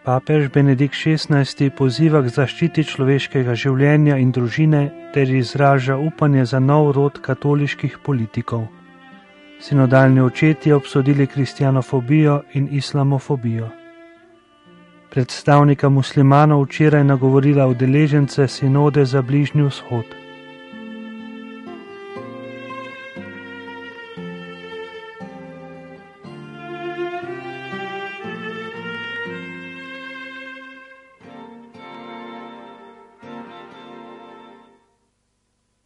Papež Benedikt XVI poziva k zaščiti človeškega življenja in družine ter izraža upanje za nov rod katoliških politikov. Sinodalni očetje obsodili kristjanofobijo in islamofobijo. Predstavnika muslimanov včeraj nagovorila udeležence sinode za Bližnji vzhod.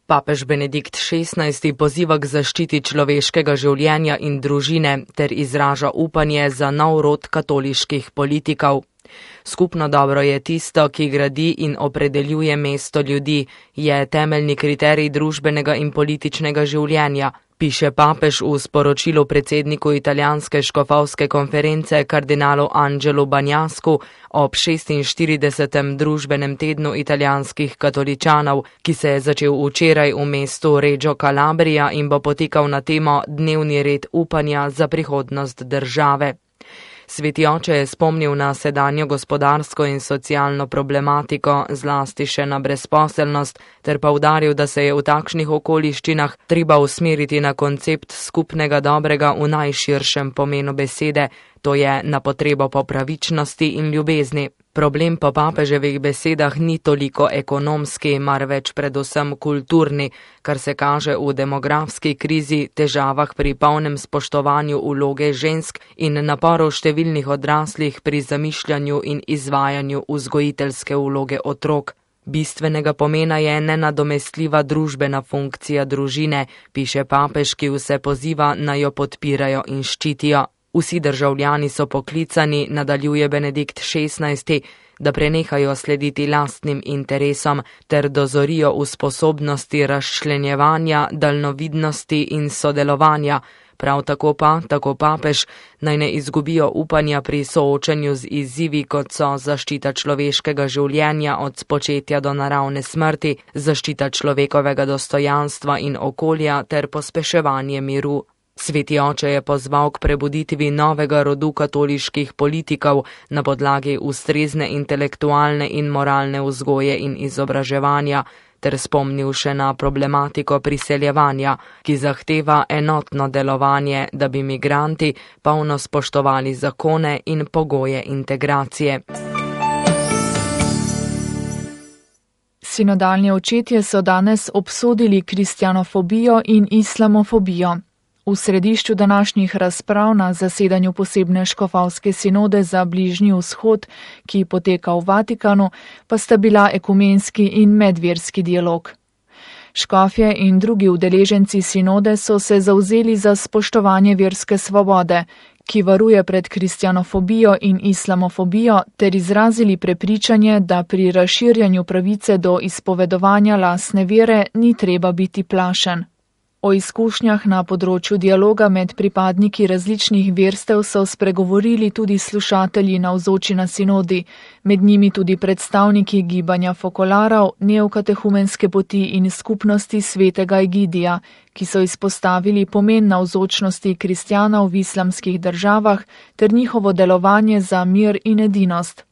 Papež Benedikt XVI poziva k zaščiti človeškega življenja in družine ter izraža upanje za nov rod katoliških politikov. Skupno dobro je tisto, ki gradi in opredeljuje mesto ljudi, je temeljni kriterij družbenega in političnega življenja, piše papež v sporočilu predsedniku italijanske škofovske konference kardinalu Angelu Bagnascu ob 46. družbenem tednu italijanskih katoličanov, ki se je začel včeraj v mestu Reggio Calabria in bo potekal na temo Dnevni red upanja za prihodnost države. Sveti oče je spomnil na sedanjo gospodarsko in socialno problematiko, zlasti še na brezposelnost, ter poudaril, da se je v takšnih okoliščinah treba usmeriti na koncept skupnega dobrega v najširšem pomenu besede, to je na potrebo po pravičnosti in ljubezni. Problem po papeževih besedah ni toliko ekonomski, marveč predvsem kulturni, kar se kaže v demografski krizi, težavah pri polnem spoštovanju vloge žensk in naporu številnih odraslih pri zamišljanju in izvajanju vzgojiteljske vloge otrok. Bistvenega pomena je nenadomestljiva družbena funkcija družine, piše papež, ki vse poziva, naj jo podpirajo in ščitijo. Vsi državljani so poklicani, nadaljuje Benedikt XVI, da prenehajo slediti lastnim interesom ter dozorijo v sposobnosti razčlenjevanja, daljnovidnosti in sodelovanja. Prav tako pa, tako papež, naj ne izgubijo upanja pri soočanju z izzivi, kot so zaščita človeškega življenja od spočetja do naravne smrti, zaščita človekovega dostojanstva in okolja ter pospeševanje miru. Sveti oče je pozval k prebuditvi novega rodu katoliških politikov na podlagi ustrezne intelektualne in moralne vzgoje in izobraževanja, ter spomnil še na problematiko priseljevanja, ki zahteva enotno delovanje, da bi migranti polno spoštovali zakone in pogoje integracije. Sinodalni očetje so danes obsodili kristjanofobijo in islamofobijo. V središču današnjih razprav na zasedanju posebne škofovske sinode za Bližnji vzhod, ki poteka v Vatikanu, pa sta bila ekumenski in medverski dialog. Škofje in drugi udeleženci sinode so se zavzeli za spoštovanje verske svobode, ki varuje pred kristjanofobijo in islamofobijo, ter izrazili prepričanje, da pri razširjanju pravice do izpovedovanja lastne vere ni treba biti plašen. O izkušnjah na področju dialoga med pripadniki različnih verstev so spregovorili tudi slušatelji navzoči na sinodi, med njimi tudi predstavniki gibanja fokolarov, neokatehumenske poti in skupnosti svetega Egidija, ki so izpostavili pomen navzočnosti kristjanov v islamskih državah ter njihovo delovanje za mir in edinost.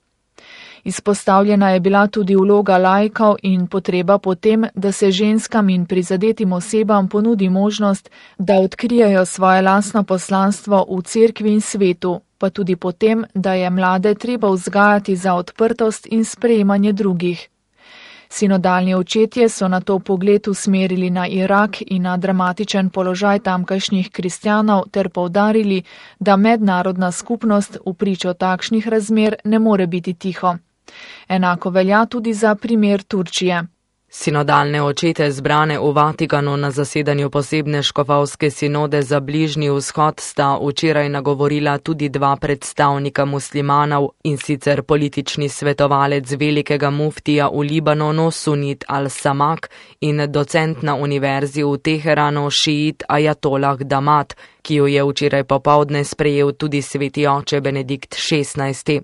Izpostavljena je bila tudi vloga laikov in potreba po tem, da se ženskam in prizadetim osebam ponudi možnost, da odkrijejo svoje lastno poslanstvo v cerkvi in svetu, pa tudi po tem, da je mlade treba vzgajati za odprtost in sprejemanje drugih. Sinodalni očetje so na to pogled usmerili na Irak in na dramatičen položaj tamkajšnjih kristjanov ter poudarili, da mednarodna skupnost v pričo takšnih razmer ne more biti tiho. Enako velja tudi za primer Turčije. Sinodalne očete zbrane v Vatikanu na zasedanju posebne škofovske sinode za Bližnji vzhod sta včeraj nagovorila tudi dva predstavnika muslimanov, in sicer politični svetovalec velikega muftija v Libanonu Sunit al-Samak in docent na univerzi v Teheranu šiit Ajatolah Damat, ki jo je včeraj popoldne sprejel tudi sveti oče Benedikt XVI.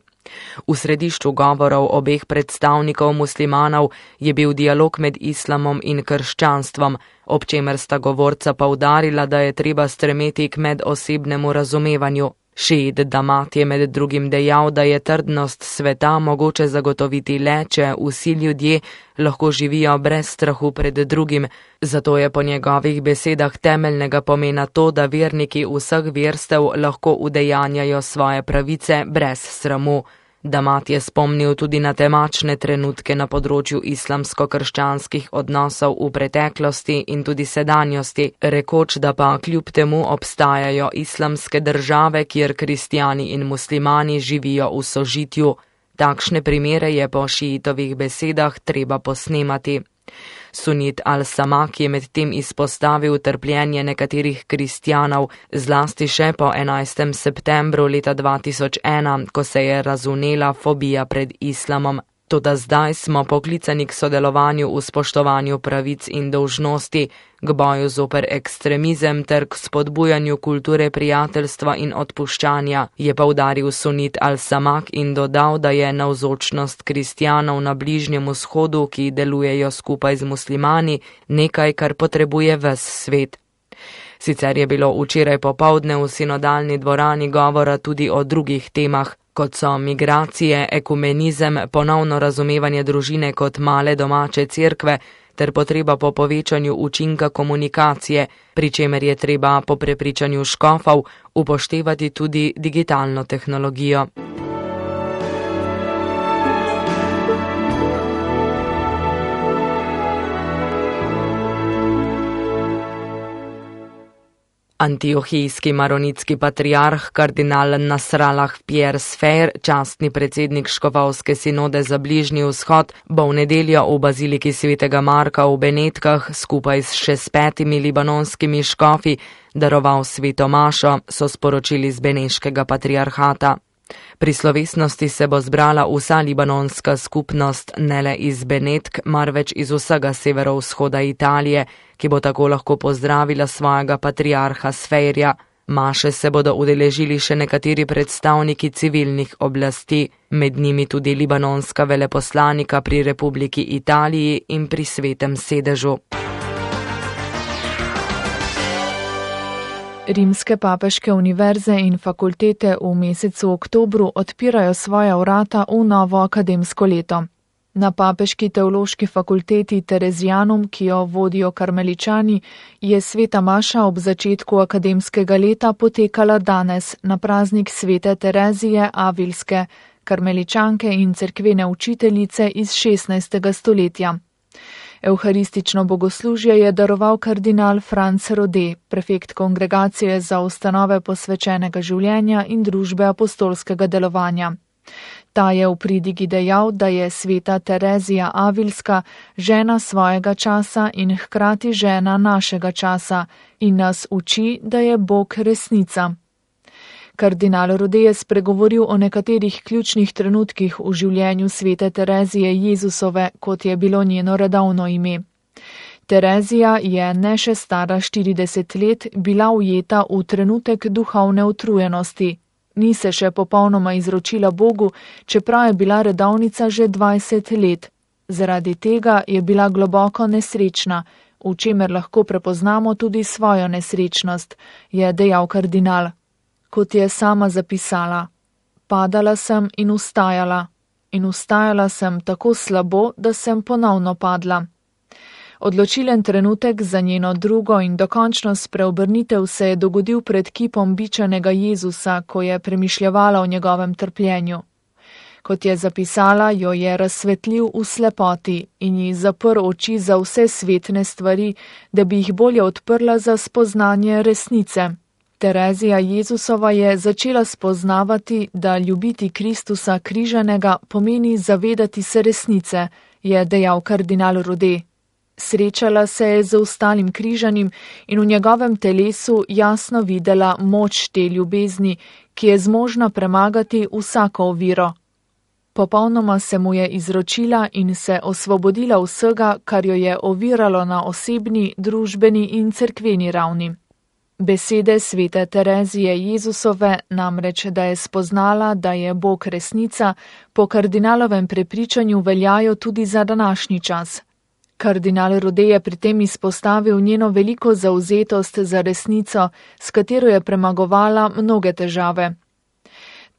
V središču govorov obeh predstavnikov muslimanov je bil dialog med islamom in krščanstvom, ob čemer sta govorca poudarila, da je treba stremeti k medosebnemu razumevanju. Šiit Damat je med drugim dejal, da je trdnost sveta mogoče zagotoviti le, če vsi ljudje lahko živijo brez strahu pred drugim, zato je po njegovih besedah temeljnega pomena to, da verniki vseh verstev lahko udejanjajo svoje pravice brez sramu. Damat je spomnil tudi na temačne trenutke na področju islamsko-krščanskih odnosov v preteklosti in tudi sedanjosti, rekoč, da pa kljub temu obstajajo islamske države, kjer kristjani in muslimani živijo v sožitju. Takšne primere je po šiitovih besedah treba posnemati. Sunit al-Samak je medtem izpostavil trpljenje nekaterih kristjanov, zlasti še po 11. septembru leta 2001, ko se je razvnela fobija pred islamom. Toda zdaj smo poklicani k sodelovanju v spoštovanju pravic in dolžnosti, k boju zoper ekstremizem ter k spodbujanju kulture prijateljstva in odpuščanja, je poudaril Sunit al-Samak in dodal, da je navzočnost kristjanov na Bližnjem vzhodu, ki delujejo skupaj z muslimani, nekaj, kar potrebuje ves svet. Sicer je bilo včeraj popoldne v sinodalni dvorani govora tudi o drugih temah, kot so migracije, ekumenizem, ponovno razumevanje družine kot male domače cerkve ter potreba po povečanju učinka komunikacije, pri čemer je treba po prepričanju škofov upoštevati tudi digitalno tehnologijo. Antiohijski maronitski patriarh kardinal Nasrallah Pierre Sfer, častni predsednik škofovske sinode za Bližnji vzhod, bo v nedeljo v baziliki svetega Marka v Benetkah skupaj s še 5 libanonskimi škofi daroval sveto mašo, so sporočili z beneškega patriarhata. Pri slovesnosti se bo zbrala vsa libanonska skupnost, ne le iz Benetk, marveč iz vsega severovzhoda Italije, ki bo tako lahko pozdravila svojega patriarha Sferja. Maše se bodo udeležili še nekateri predstavniki civilnih oblasti, med njimi tudi libanonska veleposlanika pri Republiki Italiji in pri Svetem sedežu. Rimske papeške univerze in fakultete v mesecu oktobru odpirajo svoja vrata v novo akademsko leto. Na papeški teološki fakulteti Terezijanum, ki jo vodijo karmeličani, je sveta maša ob začetku akademskega leta potekala danes na praznik svete Terezije Avilske, karmeličanke in cerkvene učiteljice iz 16. stoletja. Evharistično bogoslužje je daroval kardinal Franc Rode, prefekt kongregacije za ustanove posvečenega življenja in družbe apostolskega delovanja. Ta je v pridigi dejal, da je sveta Terezija Avilska žena svojega časa in hkrati žena našega časa in nas uči, da je Bog resnica. Kardinal Rode je spregovoril o nekaterih ključnih trenutkih v življenju svete Terezije Jezusove, kot je bilo njeno redovno ime. Terezija je ne še stara 40 let bila ujeta v trenutek duhovne utrujenosti. Ni se še popolnoma izročila Bogu, čeprav je bila redovnica že 20 let. Zaradi tega je bila globoko nesrečna, v čemer lahko prepoznamo tudi svojo nesrečnost, je dejal kardinal. Kot je sama zapisala, padala sem in vstajala sem tako slabo, da sem ponovno padla. Odločilen trenutek za njeno drugo in dokončno spreobrnitev se je dogodil pred kipom bičanega Jezusa, ko je premišljevala o njegovem trpljenju. Kot je zapisala, jo je razsvetlil v slepoti in ji zaprl oči za vse svetne stvari, da bi jih bolje odprla za spoznanje resnice. Terezija Jezusova je začela spoznavati, da ljubiti Kristusa križanega pomeni zavedati se resnice, je dejal kardinal Rode. Srečala se je z ostalim križanim in v njegovem telesu jasno videla moč te ljubezni, ki je zmožna premagati vsako oviro. Popolnoma se mu je izročila in se osvobodila vsega, kar jo je oviralo na osebni, družbeni in cerkveni ravni. Besede svete Terezije Jezusove namreč, da je spoznala, da je Bog resnica, po kardinalovem prepričanju veljajo tudi za današnji čas. Kardinal Rode je pri tem izpostavil njeno veliko zavzetost za resnico, s katero je premagovala mnoge težave.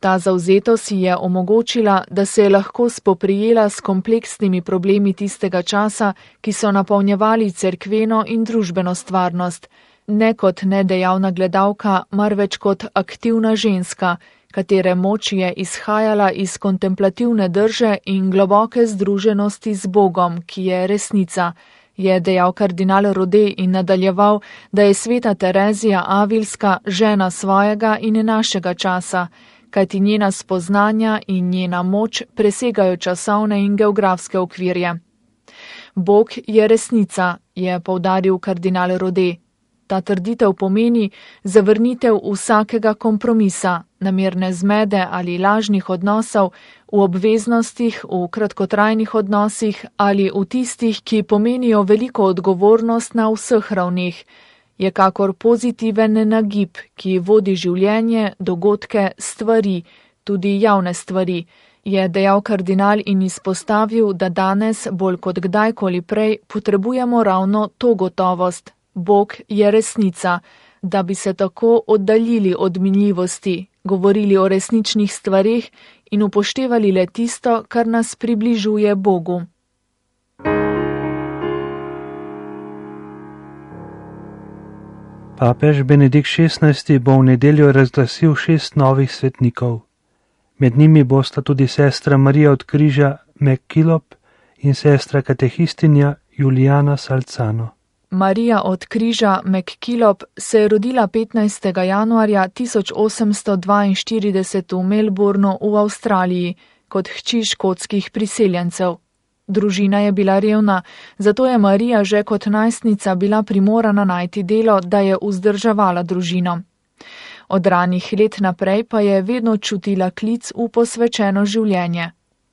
Ta zavzetost si je omogočila, da se je lahko spoprijela s kompleksnimi problemi tistega časa, ki so napolnjevali cerkveno in družbeno stvarnost, ne kot nedejavna gledalka, marveč kot aktivna ženska, katere moč je izhajala iz kontemplativne drže in globoke združenosti z Bogom, ki je resnica, je dejal kardinal Rode in nadaljeval, da je sveta Terezija Avilska žena svojega in našega časa, kajti njena spoznanja in njena moč presegajo časovne in geografske okvirje. Bog je resnica, je poudaril kardinal Rode. Ta trditev pomeni zavrnitev vsakega kompromisa, namerne zmede ali lažnih odnosov, v obveznostih, v kratkotrajnih odnosih ali v tistih, ki pomenijo veliko odgovornost na vseh ravneh, je kakor pozitiven nagib, ki vodi življenje, dogodke, stvari, tudi javne stvari, je dejal kardinal in izpostavil, da danes bolj kot kdajkoli prej potrebujemo ravno to gotovost. Bog je resnica, da bi se tako oddaljili od minljivosti, govorili o resničnih stvareh in upoštevali le tisto, kar nas približuje Bogu. Papež Benedikt XVI bo v nedeljo razglasil 6 novih svetnikov. Med njimi bosta tudi sestra Marija od Križa McKillop in sestra katehistinja Juliana Salzano. Marija od Križa McKillop se je rodila 15. januarja 1842 v Melbournu v Avstraliji kot hči škotskih priseljencev. Družina je bila revna, zato je Marija že kot najstnica bila primorana najti delo, da je vzdrževala družino. Od ranih let naprej pa je vedno čutila klic v posvečeno življenje.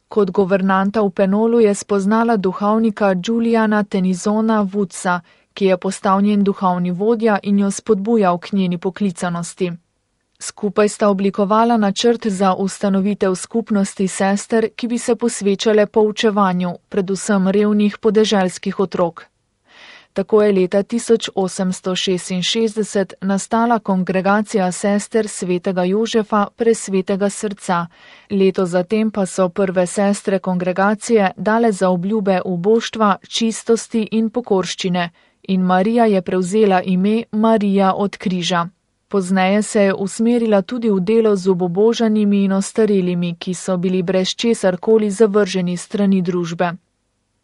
Kot guvernanta v Penolu je spoznala duhovnika Juliana Tenizona Woodsa, ki je postal njen duhovni vodja in jo spodbujal k njeni poklicanosti. Skupaj sta oblikovala načrt za ustanovitev skupnosti sester, ki bi se posvečale poučevanju, predvsem revnih podeželskih otrok. Tako je leta 1866 nastala kongregacija sester svetega Jožefa presvetega srca. Leto zatem pa so prve sestre kongregacije dale zaobljube uboštva, čistosti in pokorščine in Marija je prevzela ime Marija od Križa. Pozneje se je usmerila tudi v delo z obubožanimi in ostarelimi, ki so bili brez česarkoli zavrženi strani družbe.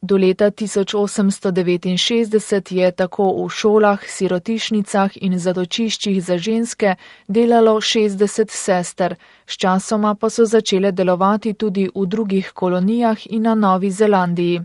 Do leta 1869 je tako v šolah, sirotišnicah in zatočiščih za ženske delalo 60 sester, sčasoma pa so začele delovati tudi v drugih kolonijah in na Novi Zelandiji.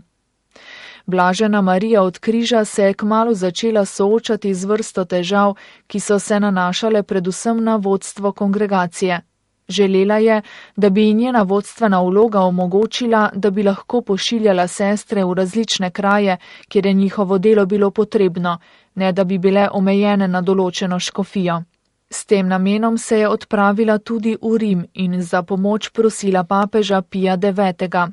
Blažena Marija od Križa se je kmalu začela soočati z vrsto težav, ki so se nanašale predvsem na vodstvo kongregacije. Želela je, da bi ji njena vodstvena vloga omogočila, da bi lahko pošiljala sestre v različne kraje, kjer je njihovo delo bilo potrebno, ne da bi bile omejene na določeno škofijo. S tem namenom se je odpravila tudi v Rim in za pomoč prosila papeža Pija IX.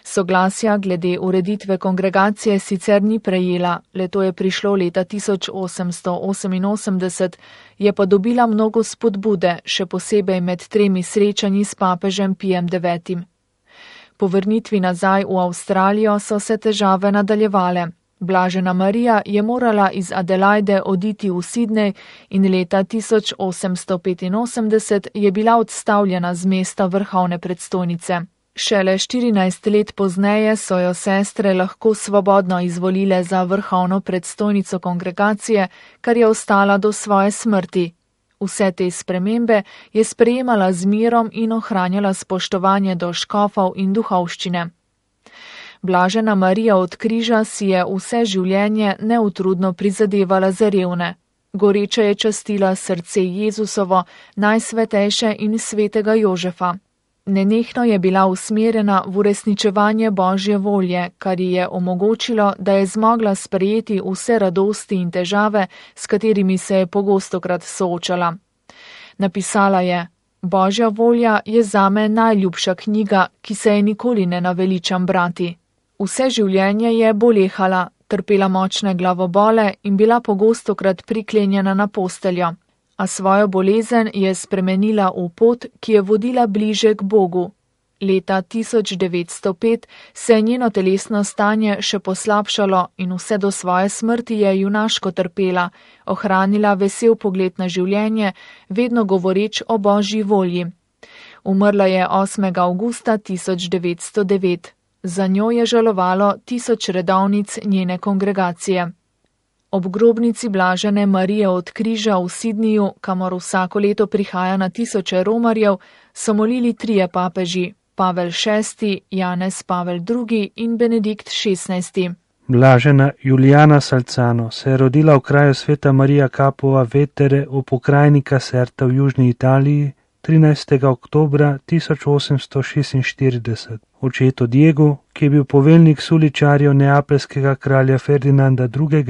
Soglasja glede ureditve kongregacije sicer ni prejela, le to je prišlo leta 1888, je pa dobila mnogo spodbude, še posebej med 3 srečanji s papežem Pijem IX. Po vrnitvi nazaj v Avstralijo so se težave nadaljevale. Blažena Marija je morala iz Adelaide oditi v Sydney in leta 1885 je bila odstavljena z mesta vrhovne predstojnice. Šele 14 let pozneje so jo sestre lahko svobodno izvolile za vrhovno predstojnico kongregacije, kar je ostala do svoje smrti. Vse te spremembe je sprejemala z mirom in ohranjala spoštovanje do škofov in duhovščine. Blažena Marija od Križa si je vse življenje neutrudno prizadevala za revne. Goreče je častila srce Jezusovo, najsvetejše in svetega Jožefa. Nenehno je bila usmerjena v uresničevanje Božje volje, kar ji je omogočilo, da je zmogla sprejeti vse radosti in težave, s katerimi se je pogostokrat soočala. Napisala je: Božja volja je zame najljubša knjiga, ki se je nikoli ne naveličam brati. Vse življenje je bolehala, trpela močne glavobole in bila pogostokrat priklenjena na posteljo. a svojo bolezen je spremenila v pot, ki je vodila bliže k Bogu. Leta 1905 se je njeno telesno stanje še poslabšalo in vse do svoje smrti je junaško trpela, ohranila vesel pogled na življenje, vedno govoreč o Božji volji. Umrla je 8. avgusta 1909. Za njo je žalovalo 1000 redovnic njene kongregacije. Ob grobnici blažene Marije od Križa v Sidniju, kamor vsako leto prihaja na tisoče romarjev, so molili 3 papeži, Pavel VI, Janez Pavel II in Benedikt XVI. Blažena Julijana Salzano se je rodila v kraju Sveta Marija Capua Vetere v pokrajini Caserta v južni Italiji 13. oktobra 1846. Očetu Diegu, ki je bil poveljnik suličarjev neapeljskega kralja Ferdinanda II.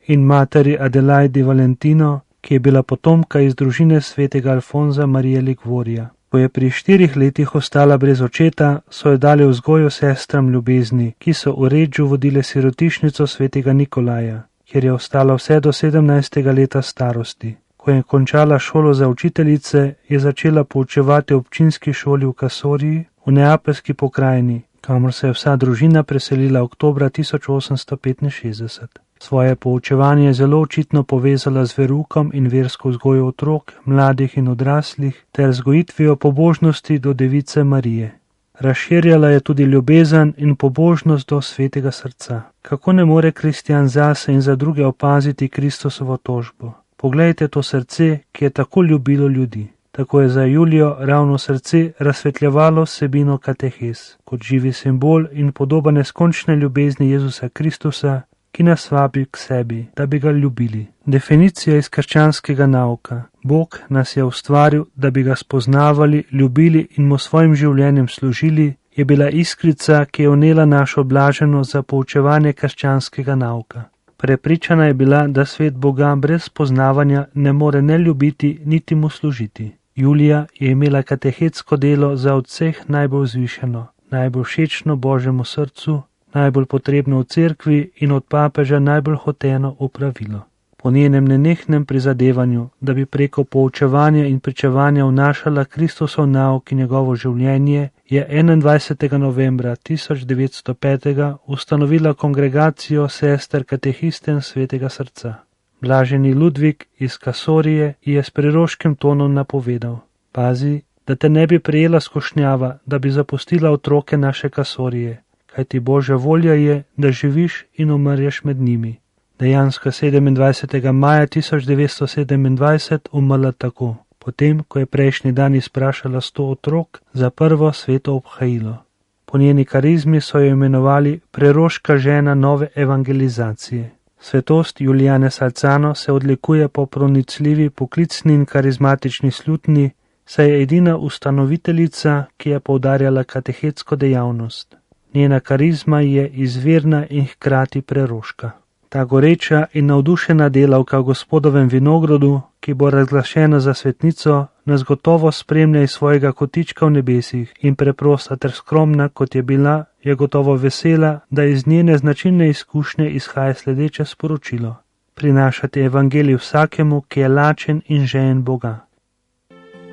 In materi Adelaidi Valentino, ki je bila potomka iz družine svetega Alfonza Marije Ligvorija. Ko je pri 4 letih ostala brez očeta, so jo dali vzgojo sestram ljubezni, ki so v Redžu vodile sirotišnico svetega Nikolaja, kjer je ostala vse do 17. leta starosti. Ko je končala šolo za učiteljice, je začela poučevati v občinski šoli v Kasoriji v neapeljski pokrajini, kamor se je vsa družina preselila oktobra 1865. Svoje poučevanje je zelo očitno povezala z verukom in versko vzgojo otrok, mladih in odraslih ter vzgojitvijo pobožnosti do Device Marije. Razširjala je tudi ljubezen in pobožnost do svetega srca. Kako ne more kristjan zase in za druge opaziti Kristusovo tožbo? Poglejte to srce, ki je tako ljubilo ljudi. Tako je za Julijo ravno srce razsvetljevalo vsebino katehes, kot živi simbol in podoba neskončne ljubezni Jezusa Kristusa, ki nas vabi k sebi, da bi ga ljubili. Definicija iz krščanskega nauka. Bog nas je ustvaril, da bi ga spoznavali, ljubili in mu svojim življenjem služili, je bila iskrica, ki je vnela našo blaženost za poučevanje krščanskega nauka. Prepričana je bila, da svet Boga brez spoznavanja ne more ne ljubiti, niti mu služiti. Julija je imela katehetsko delo za od vseh najbolj vzvišeno, najbolj všečno Božjemu srcu, najbolj potrebno v cerkvi in od papeža najbolj hoteno opravilo. Po njenem nenehnem prizadevanju, da bi preko poučevanja in pričevanja vnašala Kristusov nauk in njegovo življenje, je 21. novembra 1905. ustanovila kongregacijo sester katehisten svetega srca. Blaženi Ludvik iz Kasorije je s preroškim tonom napovedal: pazi, da te ne bi prijela skušnjava, da bi zapustila otroke naše Kasorije, kajti Božja volja je, da živiš in umrješ med njimi. Dejansko 27. maja 1927 umrla tako, potem, ko je prejšnji dan izprašala 100 otrok za prvo sveto obhajilo. Po njeni karizmi so jo imenovali preroška žena nove evangelizacije. Svetost Julijane Salzano se odlikuje po pronicljivi poklicni in karizmatični slutni, saj je edina ustanoviteljica, ki je poudarjala katehetsko dejavnost. Njena karizma je izvirna in hkrati preroška. Ta goreča in navdušena delavka v Gospodovem vinogradu, ki bo razglašena za svetnico, nas gotovo spremlja iz svojega kotička v nebesih in preprosta ter skromna, kot je bila, je gotovo vesela, da iz njene značilne izkušnje izhaja sledeče sporočilo: prinašati evangelij vsakemu, ki je lačen in žejen Boga.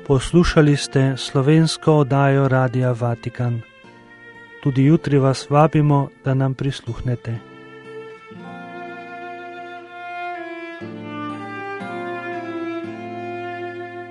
Poslušali ste slovensko oddajo Radia Vatikan. Tudi jutri vas vabimo, da nam prisluhnete.